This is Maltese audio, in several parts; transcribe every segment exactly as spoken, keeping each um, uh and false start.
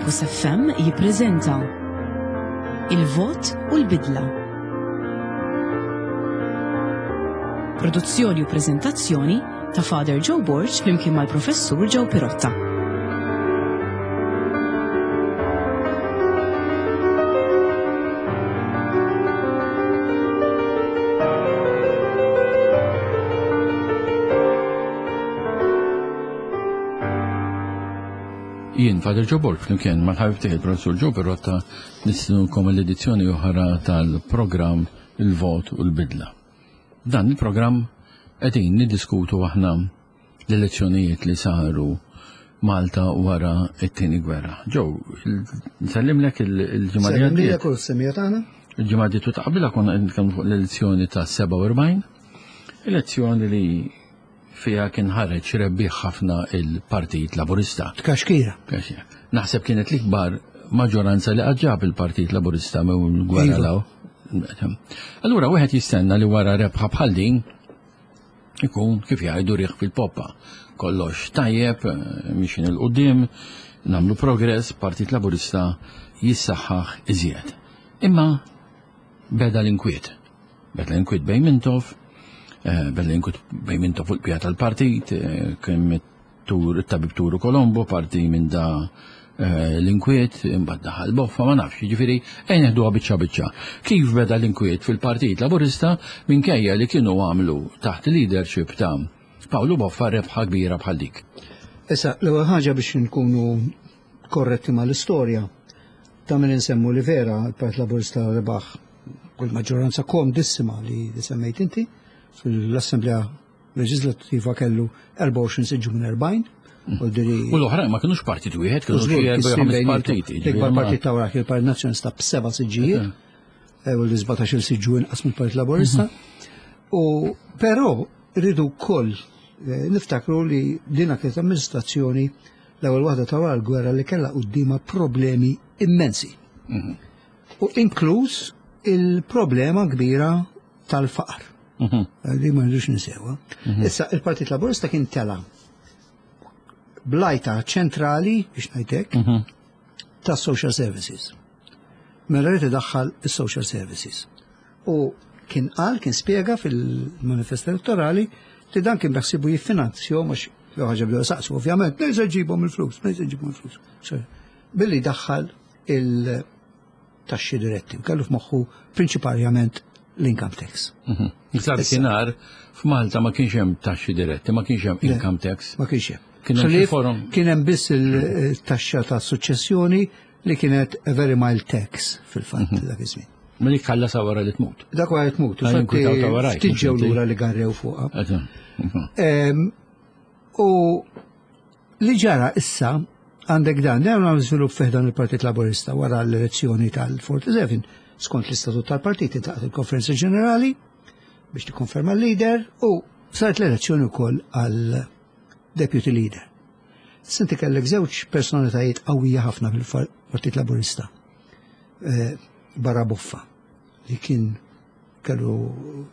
Campus F M jippreżenta Il-Vot u l-Bidla. Produzzjoni u preżentazzjoni ta' Father Joe Borg flimkien mal-Professur Joe Pirotta. Jien, Father Joe Borg, flimkien mal-ħabib tiegħi il-Professur Joe Pirotta, nistednukom l-edizzjoni oħra tal-programm Il-Vot u l-Bidla. Dan il-programm qegħdin niddiskutu aħna l-elezzjonijiet li saru Malta wara t-tieni gwerra. Joe, nsellimlek il-ġimgħa li għaddiet. Sellimlek u s-semija tagħna. Il-ġimgħa li għaddiet u taqbilha konna qed nitkellmu fuq l-elezzjoni ta' sebgħa u erbgħin, elezzjoni li fija kien ħareġ rebbieħ ħafna il-Partit Laburista. Tkaxkira. Tkaxkira. Naħseb kienet l-ikbar maġġoranza li qatt ġab il-Partit Laburista minn gwerra Iva. law. Allura wieħed jistenna li wara rebħa bħal din ikun kif jgħidu riħ fil-poppa. Kollox tajjeb, mixin il-qudiem, nagħmlu progress, Partit Laburista jissaħħaħ iżjed. Imma beda l-inkwiet. Beda l-inkwiet bejn Mintoff, eh, beda l-inkwiet bejn Mintoff fuq il-pija tal-partit, eh, kien tur, it-tabib Turu Colombo, parti minn da, eh, l-inkwiet, imbagħad daħal Boffa, ma nafx, jiġifieri ejn neħduha biċċa biċċa. Kif beda l-inkwiet fil-Partit Laburista minkejja li kienu għamlu taħt leadership ta' Pawlu Boffa rebħa kbira bħal dik? Issa, l-ewwel ħaġa biex nkunu korretti mal-istorja, ta' min insemmu li vera l-Partit Laburista rebaħ kull maġġoranza komdissima li semmejt inti fl-Assemblea Leġislattiva kellu erbgħa u għoxrin siġġu minn erbgħin. Mm. U diri U l-oħrajn ma kinux partit wieħed, kienu Żgur, xi erba' jew kien ħames bejniethom. partiti, L-ikbar ġifieri ma- partit ta' wara kien il-Partit Nazzjonalista b'seba' siġġijiet, Eh. eh, u l-sbatax-il siġġu inqas mill-Partit Laburista. Mhm. U però rridu wkoll, eh, niftakru li dina kienet amministrazzjoni l-ewwel waħda ta' wara l-gwerra li kellha quddiemha problemi immensi. Mhm. U inkluż il-problema kbira tal-faqar. Mhm. Eh, li ma rridux ninsewha. Mhm. Issa il-Partit Laburista kien tela blajta ċentrali, biex ngħidlek, Mhm. ta' social services. Mela rrid idaħħal is-social services. U kien qal, kien spjega fil-manifest elettorali li dan kien beħsibu jiffinanzjahom, għax jew ħaġa bdew saqsu, ovvjament, minn se ġibhom il-flus, minn se ġibhom il-flus. Sorry. Billi daħħal il-taxxi diretti, u kellu f'moħħu prinċipalment l-income tax. Mhm. Issa dakinhar f'Malta ma kienx hemm taxxi diretti, ma kienx hemm Le, income tax. Ma kienx hemm. Kien hemm xi Ħlief forum? Kien hemm biss il-taxxa ta' suċċessjoni li kienet a very mild tax fil-fatt Mhm. dak iż-żmien. Ma dik ħalla sa wara li tmut. Dak wara li tmut, Għal infatti inkwitaw ta' warajk, ftit ġew mhux inti. lura li garrew fuqha. Eżatt. Mhm. Ehm, u li ġara issa għandek dan, dan għam żvilupp fih dan il-Partit Laburista wara l-elezzjoni tal-forty-seven, skont l-istatut tal-partit intaqat il-Konferenza Ġenerali biex tikkonferma l-leader u saret l-elezzjoni wkoll għal deputy leader. Sinti kellek żewġ personalitajiet qawwija ħafna fil-Partit Laburista. Eh, barra Boffa, li kien kellu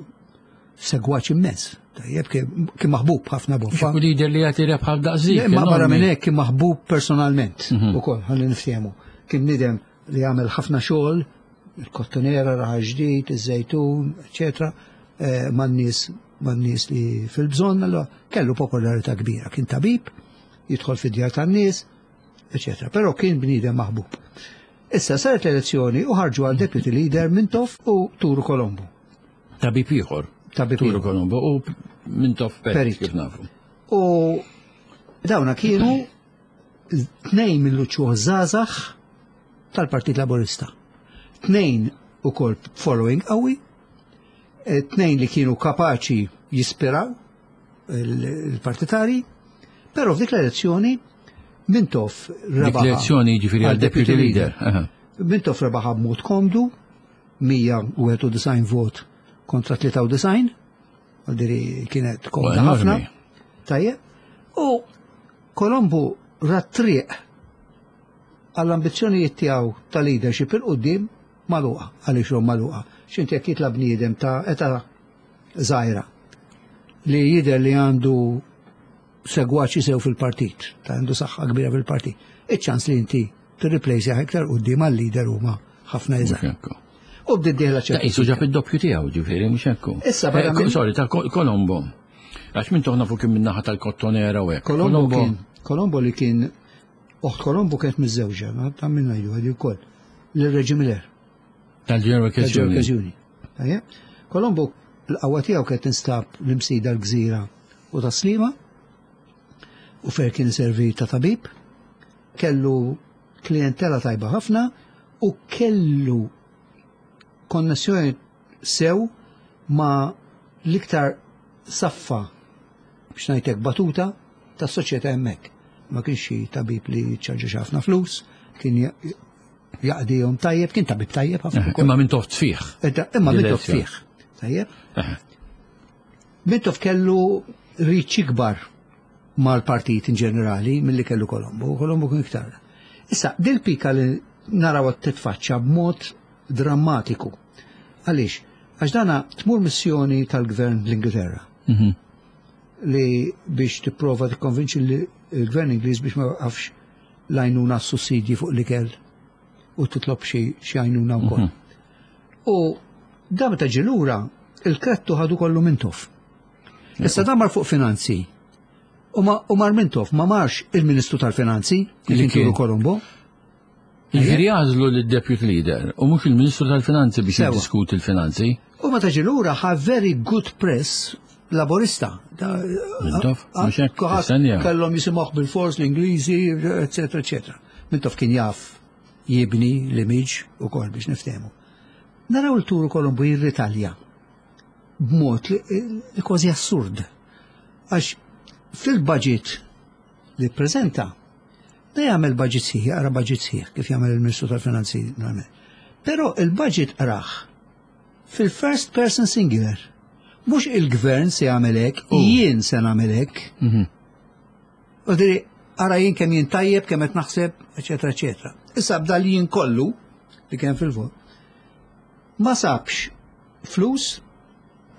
segwaċ immens. Tajjeb, kien, kien maħbub ħafna Boffa. U leader li jagħti rebħa daqsik, Le, ma barra enormi. minn hekk kien maħbub personalment Mhm. ukoll, ħalli niftehmu. Kien bniedem li għamel ħafna xogħol, il-kottonera, raħal ġdid, iż-żejtun, eċetera, eh, man-nies, man-nies li fil-bżonn, allora kellu popolarità kbira. Kien tabib, jidħol fid-djar tan-nies, eċetera. Però kien bniedem maħbub. Issa saret l-elezzjoni u ħarġu għal deputy leader Mintoff u Turu Colombo. Tabib ieħor. Tabib Turu ieħor. Colombo u Mintoff Perit, Perit. kif nafu. U dawna kienu tnejn mill-uċuħ żgħażagħ tal-Partit Laburista. Tnejn ukoll following qawwi, eh, tnejn li kienu kapaċi jispiraw il-partitari, però f'dik l-elezzjoni Mintoff Dik rebaħ l-elezzjoni jiġifieri għal għal deputy deputy leader. leader. Aha. Mintoff rebaħ b'mod komdu, mija u wieħed u disgħin vot kontra tlieta u disgħin, għaldiri kienet komda Enormi. ħafna. Tajjeb. U Colombo rat triq għall-ambizzjonijiet tiegħu ta' leadership il-qudiem magħluqa, għaliex hom magħluqa. X'inti jekk jitla' bniedem ta' età żgħira li jidher li għandu segwaċi sew fil-partit, ta' għandu saħħa kbira fil-partit. Iċ-ċans li inti tirreplace iktar quddiem għal-leader huma ħafna Mhux iżgħar. hekk. U bdiet dieħla Ta' ċertu. qisu ġab id-doppju tiegħu, ġifieri, mhux hekk. Issa, barra Eh, minn- Sorry, ta' Kol- Colombo. Għax minn toħna fuq kien min-naħa tal-Kottonera u hekk. Colombo kien, Colombo li kien, oħt Colombo kienet miżżewġa, ma ta' minna jgħidu għadi wkoll, lil Reggie Miller, Tal-General tal-General Workers' Union. Union. Tajjeb? Colombo l-qawwa tiegħu kienet tinstab l-Imsida l-Gżira u Tas-Sliema u fer kien servi ta' tabib, kellu klientela tajba ħafna u kellu konnessjoni sew ma l-iktar saffa biex ngħidlek batuta tas soċjetà hemmhekk. Ma kienx xi tabib li ċarġa ħafna flus, kien ja- jaqdihom tajjeb, kien tabib tajjeb ħafna Eh, ukoll. Imma minn toft fih. Edda, Imma Mintoff Direzzjoni. fih. Tajjeb? Eh, Mintoff kellu reach ikbar mal-partit in ġenerali milli kellu Colombo, Colombo kien iktar. Issa, dil-pika li naraw titfaċċa b'mod drammatiku. Għaliex? Għax dana tmur missjoni tal-gvern l-Ingilterra mhm. li biex tipprova tikkonvinċi li l-gvern Ingliż biex ma jwaqafx l-għajnuna sussidji fuq l-ikel u titlob xi xi għajnuna wkoll. U da meta ġie lura il-krettu ħadu kollu Mintoff. Issa da mar fuq finanzi. U ma u mar Mintoff ma marx il-Ministru tal-Finanzi li Li kien Turu kien. Colombo. Jiġifieri għażlu lid-deputy leader u mhux il-Ministru tal-Finanzi biex Sewa. jiddiskuti l-finanzi. U meta ġie lura ħa very good press laborista. Da- Mintoff, a- mhux hekk, kulħadd tistennija. Kellhom jisimgħuh bil-fors l-Ingliżi, eccetera, eccetera. Mintoff kien jaf jibni l-image u kol biex niftehmu. Naraw il-Turu Colombo jirritalja b'mod li, li kważi assurd. Għax fil-budget li prezenta, da jagħmel budget sħiħ, jaqra budget sħiħ, kif jagħmel il-Ministru tal-Finanzi normalment. Però il-budget qrah fil-first person singular. Mhux il-gvern se jagħmel hekk, jien se nagħmel hekk. Mhm. U diri, ara jien kemm jien tajjeb, kemm qed naħseb, eċetera, eċetera. Issa bda li jien kollu li kien fil-vot. Ma sabx flus,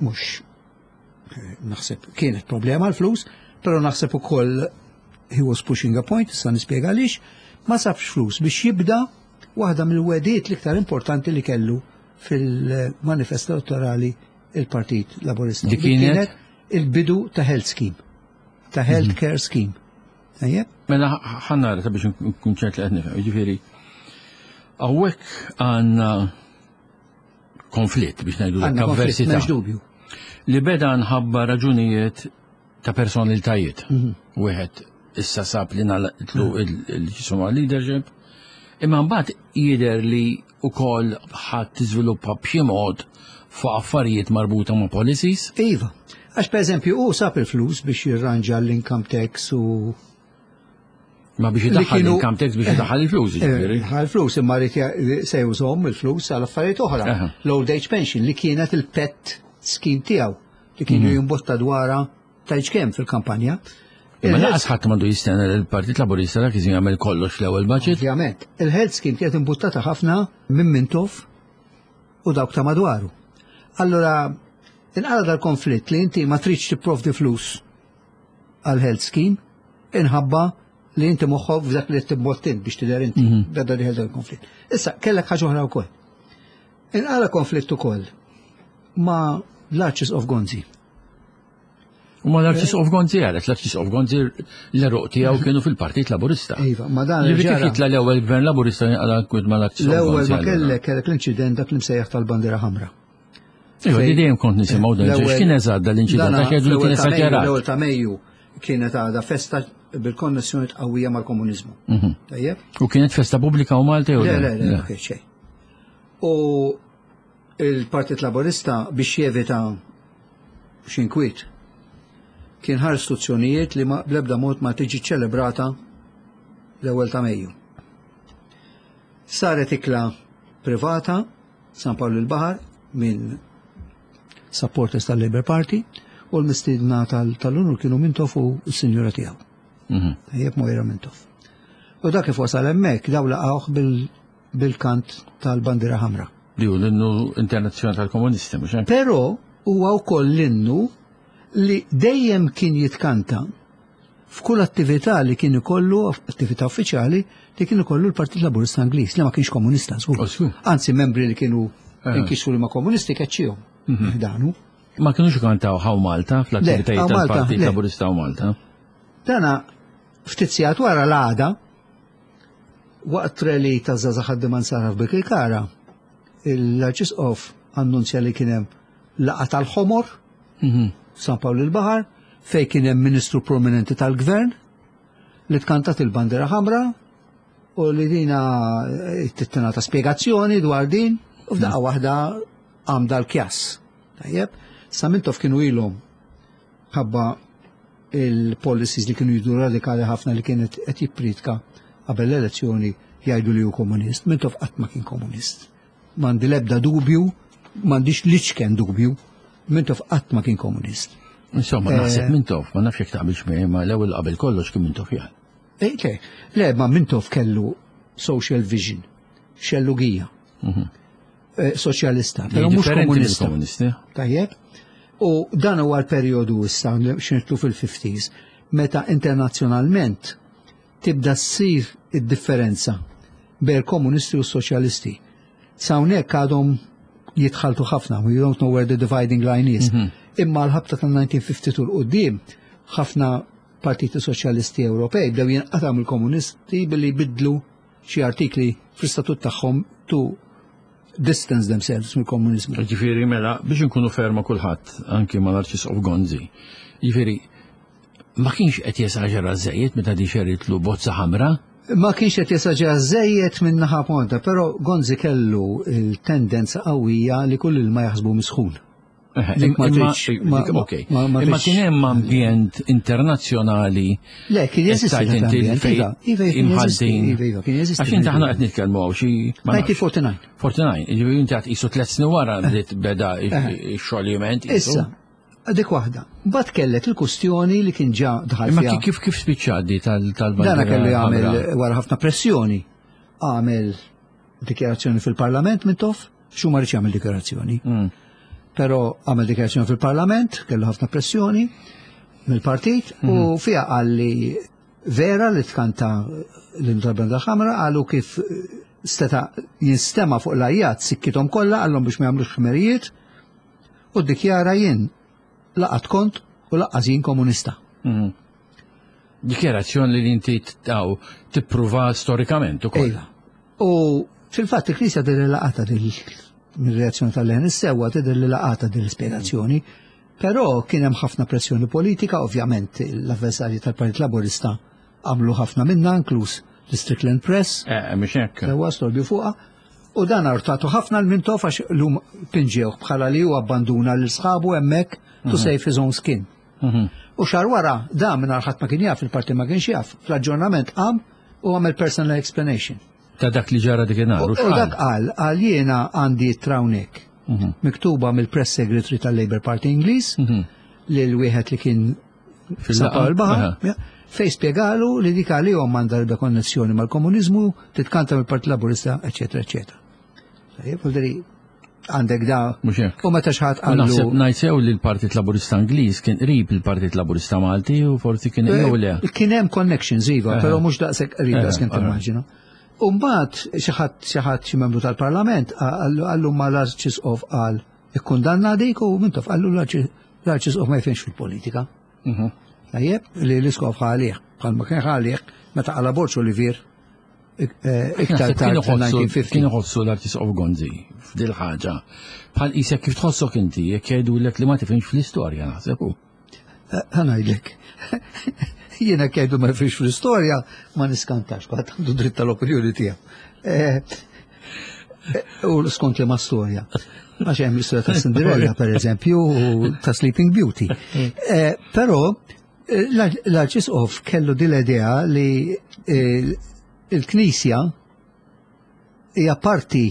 mhux eh, naħseb kienet problema l-flus, però naħseb ukoll he was pushing a point, issa nispjega għaliex, ma sabx flus biex jibda waħda mill-wegħdiet l-iktar importanti li kellu fil-manifest elettorali il-Partit Laborista. Dik kienet? il-bidu ta' health scheme, ta' health care scheme. Tajjeb? Mela ħa nara ta' biex nkun ċert li qed nifhem. Jiġifieri hawnhekk għandna konflitt biex ngħidu Għandna konflitt, avversità. m'hemmx dubju. Li beda nħabba raġunijiet ta' personalitajiet. Mhm. Wieħed issa sab li nalaqtlu il-ġisuma leadership, imma mbagħad jidher li wkoll ħadd tiżviluppa b'xi mod fuq affarijiet marbuta ma' policies. Iva, għax per eżempju, u sab il-flus biex jirranġa l-income tax u Ma biex Li idaħħal kienu- l-income tax biex idaħħal il-flus, jiġifieri. Eh, il-flus imma rrid ja- se jużhom il-flus għal affarijiet oħra. Aha. L-old age pension li kienet il-pet scheme tiegħu li kienu Mhm. jimbotta dwarha tajġ kemm fil-kampanja. Imma Il-health- lanqas ħadd m'għandu jistenna li l-Partit Laburista dak iżin jagħmel kollox l-ewwel budget. Ovvjament, il-health scheme kienet imbuttata ħafna minn Mintoff u dawk ta' madwaru. Allora, inqala dal-konflitt li inti ma tridx tipprovdi flus għal health scheme, inħabba li inti moħħok f'dak li tibbottin biex tidher inti, beda diħel dal-konflitt. Issa, kellek ħaġa oħra wkoll. Inqala konflitt ukoll ma l-Archbishop Gonzi. U ma l-Arċisqof Gonzi għalet, l-Arċisqof Gonzi l-eruq tiegħu kienu fil-Partit Laburista. Iva, ma dan Ġifieri kif ġara. jitla l-ewwel gvern Laburista jinqala kwid ma l-Arċisqof L-ewwel Gonzi. ma allura. kellek kellek l-inċident dak li msejjaħ tal-bandiera ħamra. Iva, di dejjem kont nisimgħu dan, L-ewwel- x'kien eżatt dal-inċident, Dana għax jgħidu li kien fl-ewwel ta' Mejju- esaġerat. L-ewwel ta' Mejju kienet għadha festa bil-konnessjoni qawwija mal-komuniżmu. Mhm. Tajjeb? U kienet festa pubblika u Malta jew Le, le, le, Le. ma kien xejn. U il-Partit Laborista biex jevita x'inkwiet kien ħa istruzzjonijiet li ma bl-ebda mod ma tiġi ċelebrata l-ewwel ta' Mejju. Saret ikla privata San Pawl il-Baħar minn supporters tal-Labour Party u l-mistiedna tal- tal-unur kienu Mintoff u s-sinjura tiegħu. Mhm. Tajjeb Moira Mintoff. U dak kif wasal hemmhekk daw laqgħuh bil- bil-kant tal-bandiera ħamra. Li hu l-innu internazzjonali tal-komunisti, mhux hekk? Però huwa wkoll l-innu li dejjem kien jitkanta f'kull attività li kien ikollu, attività uffiċjali, li kien ikollu l-Partit Laburista Ingliż, li ma kienx komunista, żgur. Oh, żgur. Anzi, membri li kienu Eh. inkixfu li ma komunisti keċċihom. Danu. Ma kienux kantaw Haw Malta fl-attivitajiet Haw Malta, tal-Partit le. Laburista hawn Malta. Dana ftit sigħat wara l-għada, waqt rally ta' Żgħażagħ Ħaddiema Nsara f'Birkirkara, l-Arċisqof annunzja li kien hemm laqgħa tal-ħomor, Mhm. San Pawl il-Baħar, fej kien hemm ministru prominenti tal-gvern li tkantat il-bandera ħamra u li dina eh, tingħata spjegazzjoni dwar din u f'daqqa waħda għam dal-kjass. Tajjeb, sa Mintoff kienu ilhom ħabba il-policies li kienu jidu radikali ħafna li kienet qed jippritka qabel l-elezzjoni jgħidu li hu komunist. Mintoff qatt ma kien komunist. M'għandi l-ebda dubju, m'għandix l-iċken dubju, Mintoff qatt ma kien komunist. Insomma, Eh. naħseb Mintoff, ma nafx jekk taqbilx miegħi, ma l-ewwel qabel kollox kien Mintoff jgħal. Eh, Le, le, ma Mintoff kellu social vision, xellugija, eh, soċjalista, però mhux Differenti komunista. mill-komunisti. Tajjeb? U dan huwa l-perjodu issa li x'nidħlu fil-fifties, meta internazzjonalment tibda ssir id-differenza bejn komunisti u soċjalisti. S'hawnhekk għadhom jitħaltu ħafna, we don't know where the dividing line is. Imma l-ħabta tal-elf disa' mija u tnejn u ħamsin 'l quddiem ħafna partiti soċjalisti Ewropej bdew jinqataw mill-komunisti billi jbidlu xi artikli fl-istatut tagħhom to distance themselves mill-komuniżmu. Ġifieri mela, biex nkunu ferma kulħadd, anki mal-Arċisqof Gonzi. Ġifieri, ma kienx qed jesaġera żejjed meta di xeritlu bozza ħamra? Ma kienx qed jesaġera żejjed minn naħa ponta, però Gonzi kellu il-tendenza qawwija li kull il ma jaħsbu misħun. Eh, Dik ma imma- tridx- ma- dik- okej. ma- ma Imma tridx- kien hemm ambjent internazzjonali. Le, kien jeżisti Tajt dak inti l-ambjent, fejn iva, iva, kien jeżisti, imħaltin. iva, iva, kien jeżisti. Għax inti aħna qed nitkellmu hawn xi ma nafx. elf disa' mija u erbgħa u erbgħin. erbgħa u erbgħin, ġifieri inti għad qisu tliet snin wara bdiet beda x-xoljiment. Issa, dik waħda. Mbagħad kellek il-kustjoni li kien ġa daħal Imma fiha. kif kif spiċċa di tal tal Dana kellu jagħmel wara ħafna pressjoni. Għamel dikjarazzjoni fil-Parlament Mintoff, xu ma rridx jagħmel dikjarazzjoni. Mm. Però għamel dikjarazzjoni fil-Parlament, kellu ħafna pressjoni mill-partit u fiha qal li vera li tkanta l-innu ħamra, qalu kif steta jinstema fuq l-ajjat sikkitom kollha, qallhom biex ma jagħmlux ħmerijiet u ddikjara: "Jien la qatt kont u lanqas jien komunista." Mm. Dikjarazzjoni li inti taw tippruva storikament ukoll. Ejla. U fil-fatt il-Knisja tidher li laqgħetha dil mir-reazzjoni tal-leħen is-sewwa, tidher li laqgħetha din l-ispjegazzjoni, però kien hemm ħafna pressjoni politika, ovvjament l-avversarji tal-Partit Laburista għamlu ħafna minna, inkluż l-Strickland Press, Eh, mhux hekk. sewwa storbju fuqha, u dan artatu ħafna l-Mintoff għax lum pinġewh bħala li hu abbanduna lil sħabu hemmhekk to save his own skin. Mhm. U xahar wara, da minn ħadd ma kien jaf, il-parti ma kienx jaf, fl-aġġornament qam u għamel personal explanation. Ta' dak li ġara dik inhar. U U u dak x'qal? qal, qal jiena għandi trawnek Mhm. miktuba mill-press secretary tal-Labour Party Ingliż Mhm. lil wieħed li kien Fil-laqgħa? San Pawl Baħar, Aha. ja, fej spjegalu li dik għalihom m'għandha l-ebda konnessjoni mal-komuniżmu, titkanta mill-Partit Laburista, eċetera, eċetera. Tajjeb, vuol għandek da. Mhux hekk. U meta xi ħadd U naħseb qallu ngħid sew li l-Partit Laburista Ingliż kien qrib il-Partit Laburista Malti u forsi kien jew le. Kien hemm connections iva, Aha. però mhux daqshekk qrib Aha, daqs kemm aha. timmaġina. U mbagħad xi ħadd xi ħadd xi membru tal-Parlament qallu qallu ma l-Arċisqof qal ikkundanna dik u Mintoff qallu l-Arċisqof ma jifhimx fil-politika. Mhm. Tajjeb, li l-isqof ħalih, bħalma kien ħalih meta qala Borg Olivier eh, iktar Naħseb tard Kien iħossu- fil-elf disa' mija u ħamsin. kien iħossu l-Arċisqof Gonzi f'dil ħaġa. Bħal qisek kif tħossok inti jekk jgħidulek li ma tifhimx fl-istorja, naħseb hu. Ħa ngħidlek. Jiena jgħidu ma nifhimx fl-istorja ma niskantax, kulħadd għandu dritt tal-opinjoni tiegħu. Eh, eh, U skont li ma storja. Għax hemm l-istorja ta' Cinderella, per eżempju, u ta' Sleeping Beauty. Eh, Però eh, l-Arċisqof kellu din l-idea li eh, il-Knisja hija parti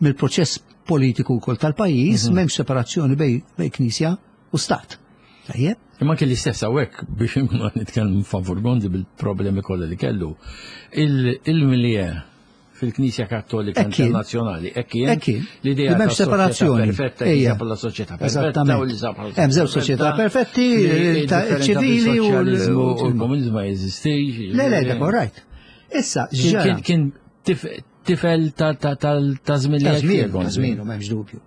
mill-proċess politiku wkoll tal-pajjiż, m'hemmx separazzjoni bej bej Knisja u Stat. Tajjeb? Imma kelli stess hawnhekk biex nkunu qed nitkellmu favur Gonzi bil-problemi kollha li kellu. Il-milieu fil-Knisja Kattolika Internazzjonali. Hekk kien. L-idea ta' separazzjoni perfetta, hija bħala soċjetà perfetta u li Hemm żewġ soċjetà perfetti, ċivili u l-komuniżmu ma jeżistix. Le, le, dak right. Issa, kien tifel ta' żmien li Ta' żmien, m'hemmx dubju.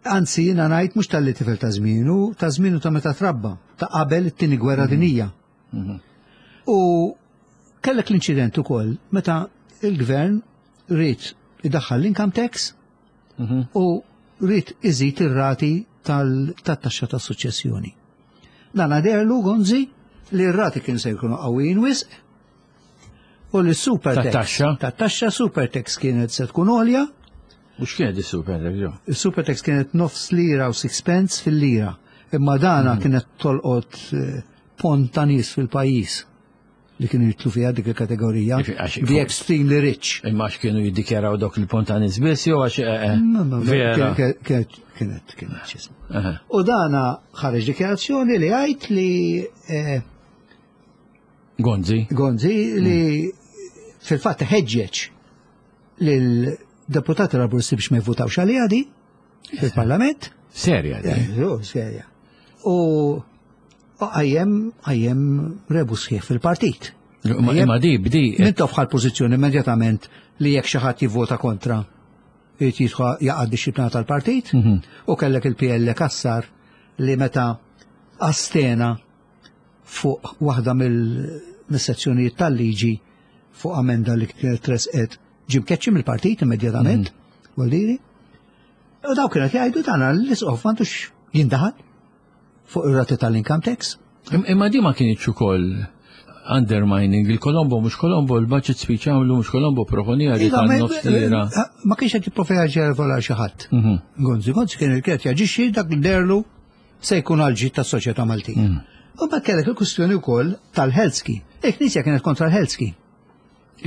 Anzi, jiena ngħid mhux tal-li tifel ta' żmienu, ta' żmienu ta' meta trabba, ta' qabel it-tieni gwerra mhm. dinija. Mhm. U kellek l-inċident ukoll meta il-gvern ried idaħħal l-income tax mhm. u ried iżid ir-rati tat-taxxa tas-suċċessjoni. Dan għaderlu Gonzi li r-rati kien se jkunu qawwijin wisq u li super tax tat-taxxa super tax kienet se tkun għolja. U x'kienet is-super tax? Is-super tax kienet nofs lira u sixpence fil-lira. Imma dana mhm. kienet tolqot eh, pont ta' nies fil-pajjiż li kienu jitlu fiha dik il-kategorija. The extremely rich. Imma għax kienu jiddikjaraw dok il-pont ta' nies biss jew għax eh, eh, vera. Kienet, kienet x'ismu. U dana ħareġ dikjarazzjoni li għajt li eh, Gonzi. Gonzi li mm. fil-fatt ħeġġeġ lil-deputati Laburisti biex ma jvutawx għaliha di fil-Parlament. Serja di. Serja. U għajem għajem rebu sħiħ fil-partit. Imma di bdi. Mintoff ħa l-pożizzjoni immedjatament li jekk xi ħadd jivvota kontra irid jidħol jaqa' disciplina tal-partit mhm. u kellek il-P L Cassar li meta astena fuq waħda mill-sezzjonijiet tal-liġi fuq amenda li kienet tresqet ġie mkeċċi mill-partit immedjatament, mm. U daw kienet jgħidu tagħna l-isqof m'għandux jindaħal fuq ir-rati tal-income tax. Imma di ma kienx ukoll undermining il-Colombo, mhux Colombo, il-budget speech għamlu, mhux Colombo proponija li Iva, ta' ma- nofs lira. Ma kienx qed jipprova jaġevola xi ħadd. Mhm. Gonzi, Gonzi kien il-kienet jaġixxi dak li derlu se jkun għal ġid tas-soċjetà Maltija. Mm. U ma kellek il-kwistjoni wkoll tal-health scheme. Il-Knisja kienet kontra l-health scheme.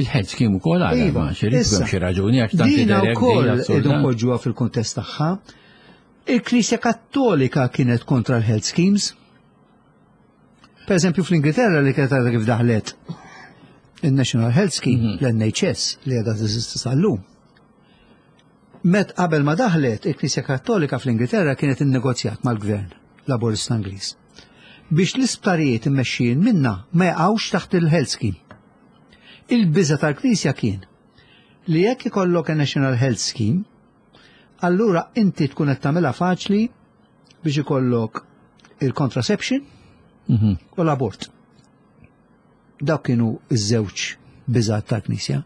Il-health scheme ukoll għala, Iva, ma xirrid issa, xi raġuni għax tant Dina tidher hekk wkoll din idu assurda. npoġġuha fil-kuntest tagħha. Il-Knisja Kattolika kienet kontra l-health schemes. Per eżempju fl-Ingilterra li kienet għadha kif daħlet il-National Health Scheme, Mhm. l-N H S li għadha teżisti sal-lum. Met qabel ma daħlet, il-Knisja Kattolika fl-Ingilterra kienet innegozjat mal-Gvern Laburista Ingliż biex l-isptarijiet immexxijin minna ma jaqgħux taħt il-health scheme. Il-biża tal-Knisja kien li jekk ikollok a National Health Scheme, allura inti tkun qed tagħmilha faċli biex ikollok il-contraception Mhm. u l-abort. Dawk kienu iż-żewġ biżat tal-Knisja.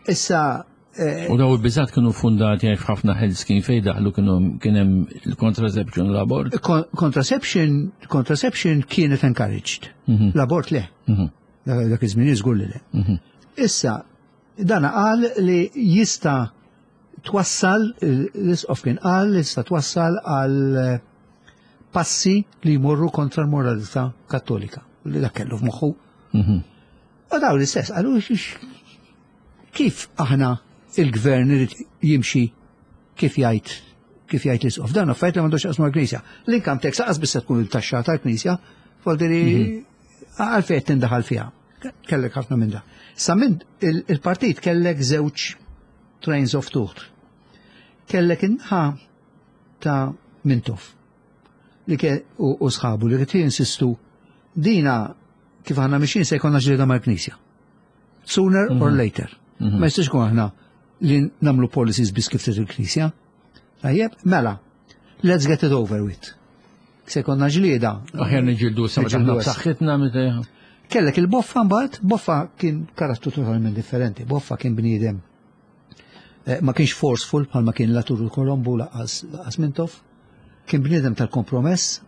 Issa eh, U daw il-biżat kienu fundati għax ħafna health scheme fejn daħlu kienu kien hemm il-contraception u l-abort. con- contraception contraception kienet encouraged. Mhm. L-abort le. Mhm. Dak dak iż-żmien żgur li le. Mhm. Issa, dana qal li jista twassal, l-isqof kien qal li jista twassal għal eh, passi li jmorru kontra l-moralità Kattolika. Li dak kellu f'moħħu. Mhm. U daw l-istess, qalu x- kif aħna il-gvern irid jimxi kif jgħid kif jgħid l-isqof? Dan affarijiet li m'għandux jaqsmu mal-Knisja. L-income tax aqas biss se tkun il-taxxa tal-Knisja, voldiri għalfejn qed tindaħal fiha. Kellek ħafna minn da. Sa minn il- il-partit kellek żewġ trains of thought. Kellek in-naħa ta' Mintoff li ke u, u sħabu li kienu jinsistu dina kif aħna mixin se jkollna ġlieda mal-Knisja. Sooner or later. Ma jistax ikun aħna li namlu policies biss kif trid il-Knisja. Tajjeb, mela, let's get it over with. Se jkollna ġlieda. Aħjar niġġieldu sa meta Niġġieldu aħna issa. b'saħħitna meta Kellek il-Boffa mbagħad, Boffa kien karattru totalment differenti. Boffa kien bniedem eh, ma kienx forceful bħalma kien Latour u Colombo laqas laqas Mintoff. Kien bniedem tal-kompromess,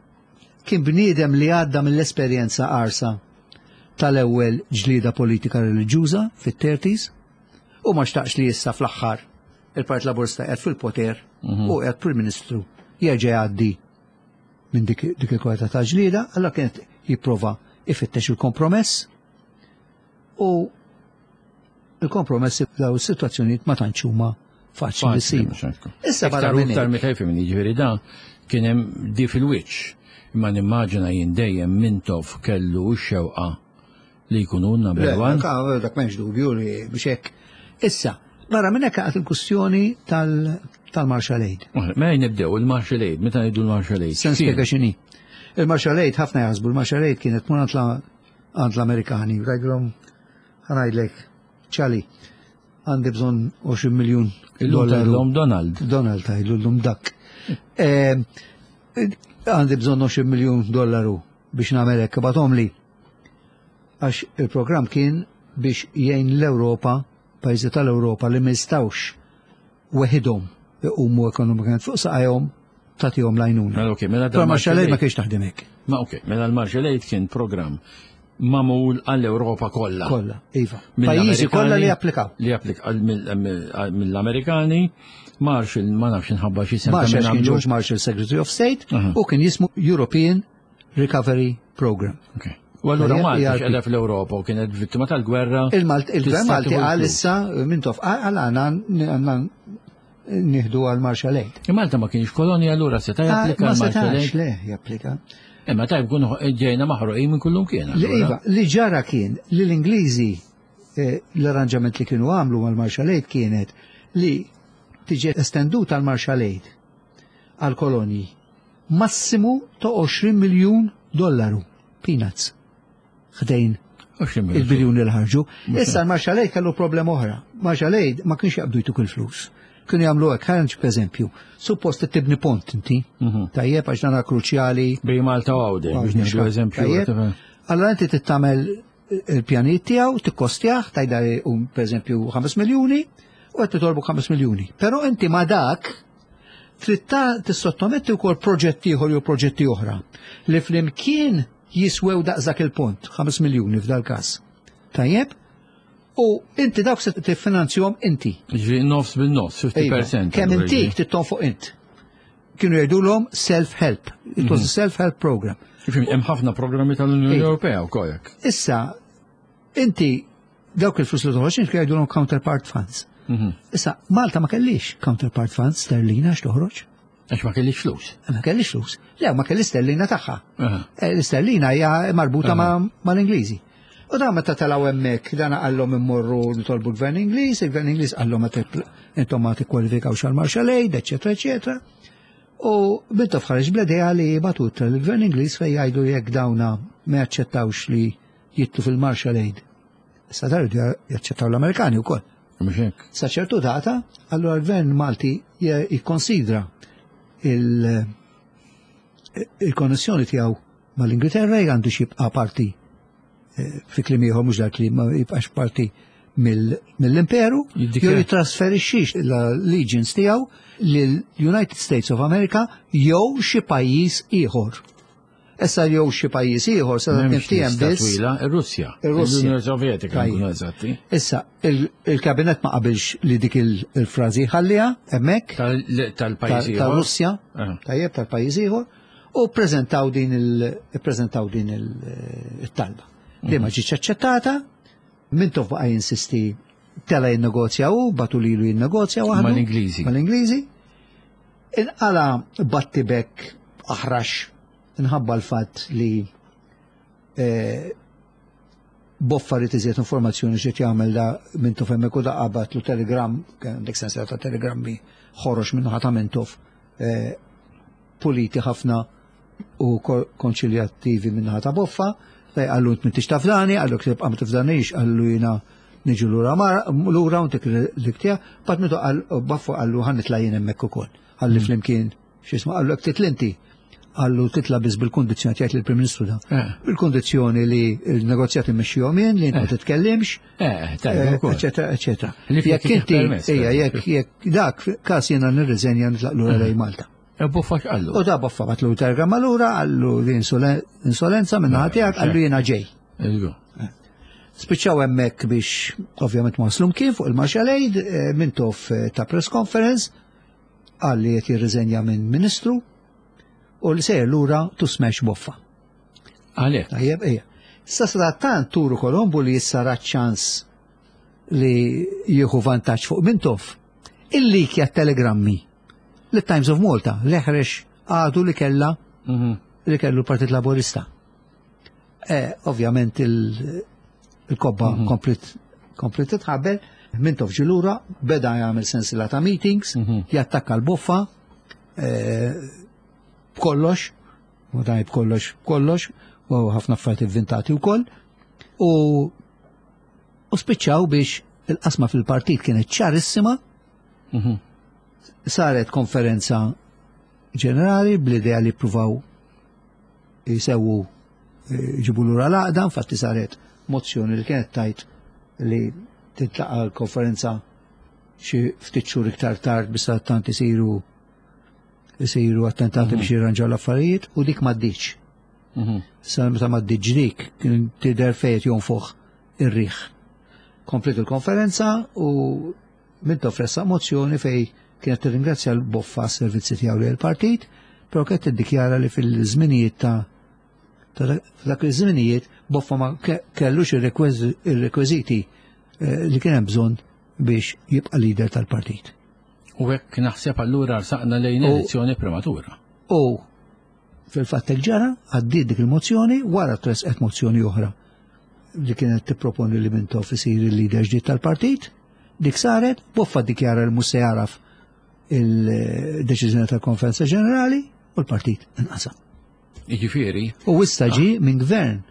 kien bniedem li għadda mill-esperjenza qarsa tal-ewwel ġlieda politika reliġjuża fit-thirties u ma xtaqx li issa fl-aħħar il-Partit Laburista qiegħed fil-poter u qiegħed Prim Ministru jerġa' jgħaddi minn dik, dik il-kwalità ta' ġlieda, allora kienet jipprova ifittex il-kompromess u il-kompromess daw is-sitwazzjonijiet ma tantx huma faċli li ssibu. Issa barra Iktar u minn iktar hekk. meta jfimni, ġifieri da kien hemm di fil-wiċċ. Imma nimmaġina jien dejjem Mintoff kellu x-xewqa li jkunu number one. Dak m'hemmx dubju li biex hekk. Issa, barra minn hekk għad il-kwistjoni tal-Marshall Aid. Ma nibdew il-Marshall Aid, meta ngħidu l-Marshall Aid. Se nispjega x'inhi. Il-Marshall Aid ħafna jaħsbu, il-Marshall Aid kienet tmur għand l-Amerikani, tgħidilhom ħa ngħidlek, ċali, għandi bżonn għoxrin miljun dollaru. Donald. Donald tgħidlu llum dak. Għandi bżonn għoxrin miljun dollaru biex nagħmel hekk, ibgħathom li. Għax il-programm kien biex jgħin l-Ewropa, pajjiżi tal-Ewropa li ma jistgħux weħidhom iqumu ekonomikament fuq saqajhom tagħtihom l-għajnuna. Mela okej, mela Però Marshall Aid ma kienx taħdem hekk. Ma okej, mela l-Marshall Aid kien programm magħmul għall-Ewropa kollha. Kollha, iva. Pajjiżi kollha li applikaw. Li applikaw mill-Amerikani, Marshall, ma nafx inħabba xi sem. Marshall kien George Marshall Secretary of State u kien jismu European Recovery Program. Okay. U allura Malta x'qegħda fl-Ewropa u kienet vittima tal-gwerra. Il-Gvern Malti qal issa Mintoff qal għandna nieħdu għal Marshall Aid. Malta ma kienx kolonja allura seta' japplika għal Marshall Aid. Le, japplika. Imma tajb kun ġejna maħruqin minn kullum kien. Li iva, li ġara kien li l-Ingliżi l-arranġament li kienu għamlu mal-Marshall Aid kienet li tiġi estenduta l-Marshall Aid għal kolonji massimu ta' għoxrin miljun dollaru, peanuts, ħdejn il-biljuni li ħarġu. Issa l-Marshall Aid kellu problema oħra. Marshall Aid ma kienx jaqbdu jtuk il-flus. Kienu jagħmlu hekk, ħa nġib eżempju. Suppost tibni pont inti, tajjeb għax dan kruċjali. Bejn Malta u Għawdex, biex nieħdu eżempju. Allora inti tittamel il-pjanijiet tiegħu, tikkostjah, tajda pereżempju ħames miljuni, u qed titolbu ħames miljuni. Però inti ma dak trid tissottometti wkoll proġetti ieħor jew proġetti oħra li flimkien jiswew daqs dak il-pont, ħames miljuni f'dal każ. Tajjeb? U inti dawk se tiffinanzjahom inti. Ġifieri nofs bin-nofs, fifty percent. Kemm intik titton fuq int. Kienu jgħidulhom self-help. It was a self-help program. Ġifieri hemm ħafna programmi tal-Unjoni Ewropea wkoll hekk. Issa, inti dawk il-flus li toħroġ kienu jgħidulhom counterpart funds. Issa, Malta ma kellix counterpart funds sterlina għax toħroġ. Għax ma kellix flus. Ma kellix flus. Le, ma kellix sterlina tagħha. L-sterlina hija marbuta mal-Ingliżi. U da meta telgħu hemmhekk, dan qallhom immorru nitolbu l-Gvern Ingliż, il-Gvern Ingliż qallhom intom ma tikkwalifikawx għal Marshall Aid, eċetera, eċetera. U Mintoff ħareġ bl-idea li batut l-Gvern Ingliż fejn jgħidu jekk dawna ma jaċċettawx li jitlu fil-Marshall Aid. Issa dar jaċċettaw l-Amerikani wkoll. Mhux hekk. Sa ċertu data, allura l-Gvern Malti jikkonsidra il-konnessjoni tiegħu mal-Ingilterra għandu xi jibqa' parti fi kliem ieħor mhux dak li ma jibqax parti mill-imperu, jew jitrasferixxix l-allegiance tiegħu lill-United States of America jew xi pajjiż ieħor. Issa jew xi pajjiż ieħor sa niftiehem biss. Ir-Russja. Ir-Russja. L-Unjoni Sovjetika nkunu eżatti. Issa il-kabinet ma qabilx li dik il-frażi ħalliha hemmhekk tal-pajjiż ieħor. Tal-Russja. Tajjeb tal-pajjiż ieħor u ppreżentaw din il-ppreżentaw din il-talba. Li ma ġietx aċċettata, Mintoff baqa' jinsisti tela jinnegozja u batu lilu jinnegozja waħdu. Mal-Ingliżi. Mal-Ingliżi. Inqala battibek aħrax inħabba l-fatt li Boffa rid iżjed informazzjoni x'qed jagħmel da Mintoff hemmhekk u da qabatlu telegram, għandek sensiela ta' telegrammi ħorox minn ħadd ta' Mintoff, puliti ħafna u konċiljattivi minn ħadd ta' Boffa. Fej qallu int m'intix tafdani, qallu tibqa' ma tifdanix, qallu jiena niġu lura lura u ntik l-iktija, bat mitu qal Baffa qallu ħa nitla' jien hemmhekk ukoll. Qalli flimkien x'isma' qallu hekk titlinti. Qallu titla' biss bil-kundizzjoni jgħid lill-Prim Ministru da. Bil-kundizzjoni li l-negozjati mmexxihom jien, li int ma titkellimx, eċetera, eċetera. Jekk inti, ejja, jekk jekk dak każ jiena nirriżenja nitlaq lura lejn Malta. E Boffa x'qallu? U da Boffa batlu telegramma lura, qallu li insolenza minn naħa tiegħek, qallu jiena ġej. Spiċċaw hemmhekk biex ovvjament ma waslum kien fuq il-Marshall Aid, Mintoff ta' press conference, qal li qed jirriżenja minn ministru u li sejjer lura to smash Boffa. Għalhekk. Tajjeb, ejja. Issa sadattant Turu Kolombu li issa ra ċans li jieħu vantaġġ fuq Mintoff, illikja telegrammi li Times of Malta l-eħrex għadu li kella li kellu l-Partit Laburista. Ovvjament Il-kobba mhm. komplet komplet titħabbel, Mintoff ġie lura, beda jagħmel sensiela ta' meetings, mhm. jattakka l-Boffa, eh, b'kollox, u daj b'kollox, b'kollox, u ħafna affarijiet inventati wkoll, u u spiċċaw biex il-qasma fil-partit kienet ċarissima, mhm. saret konferenza ġenerali bl-idea li pruvaw jisewu eh, ġibu lura l-għaqda, infatti saret mozzjoni li kienet tajt li tintlaqa l-konferenza xi ftit xhur iktar tard biex tant isiru isiru attentati biex jirranġaw l-affarijiet u dik m'għaddiċ. Mhm. Sa meta m'għaddiċ dik kien tidher fejn jonfoħ ir-riħ. Komplet il-konferenza u Mintoff ressaq mozzjoni fej kienet tirringrazzja l-Boffa s-servizzi tiegħu lil partit, però kienet tiddikjara li fil-żminijiet ta' ta' dak iż-żminijiet Boffa ma ke- kellux ir-rekwiżiti eh, li kien hemm bżonn biex jibqa' leader tal-partit. U hekk naħseb allura saqna lejn U- elezzjoni prematura. U fil-fatt hekk ġara, għaddiet dik il-mozzjoni, wara tresqet mozzjoni oħra li kienet tipproponi li Mintoff isir il-leader ġdid tal-partit, dik saret, Boffa dikjara li mhux se jaraf il-deċiżjoni tal-Konferenza Ġenerali u l-partit inqasam. Jiġifieri, U issa ġi minn gvern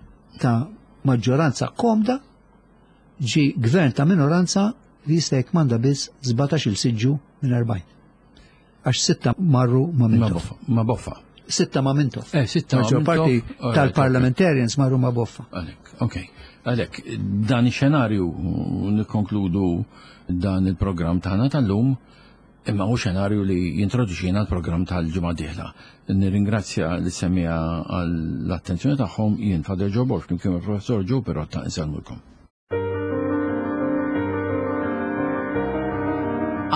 ta' maġġoranza komda, ġi gvern ta' minoranza li jista' jkmanda biss sbatax-il siġġu minn erbgħin. Għax sitta marru ma' ma' Mintoff. Boffa. Ma' Boffa. Sitta ma' Mintoff. Eh, sitta ma' Maġġor parti Mintoff. Alright, tal-parliamentarians marru ma' Boffa. Għalek, ok. Għalek, dan ix-xenarju nikkonkludu dan il-programm tagħna tal-lum, imma hu xenarju li jintroduċina l-programm tal-ġimgħa dieħla. Nirringrazzja lis-semmiegħa għall-attenzjoni tagħhom, jien Father Joe Borg, flimkien mal-Professor Joe Pirotta, insellmulkom.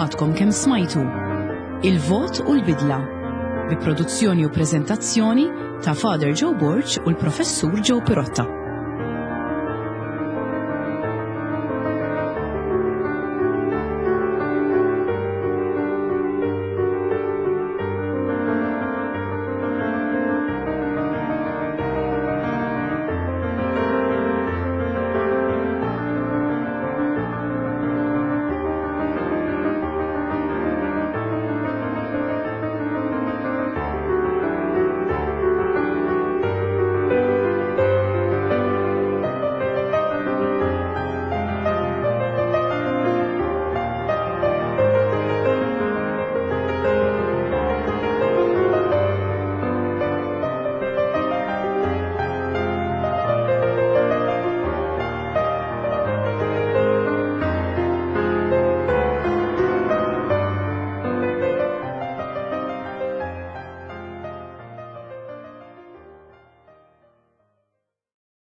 Għadkom kemm smajtu Il-Vot u l-Bidla bi produzzjoni u prezentazzjoni ta' Father Joe Borg u l-Professur Joe Pirotta.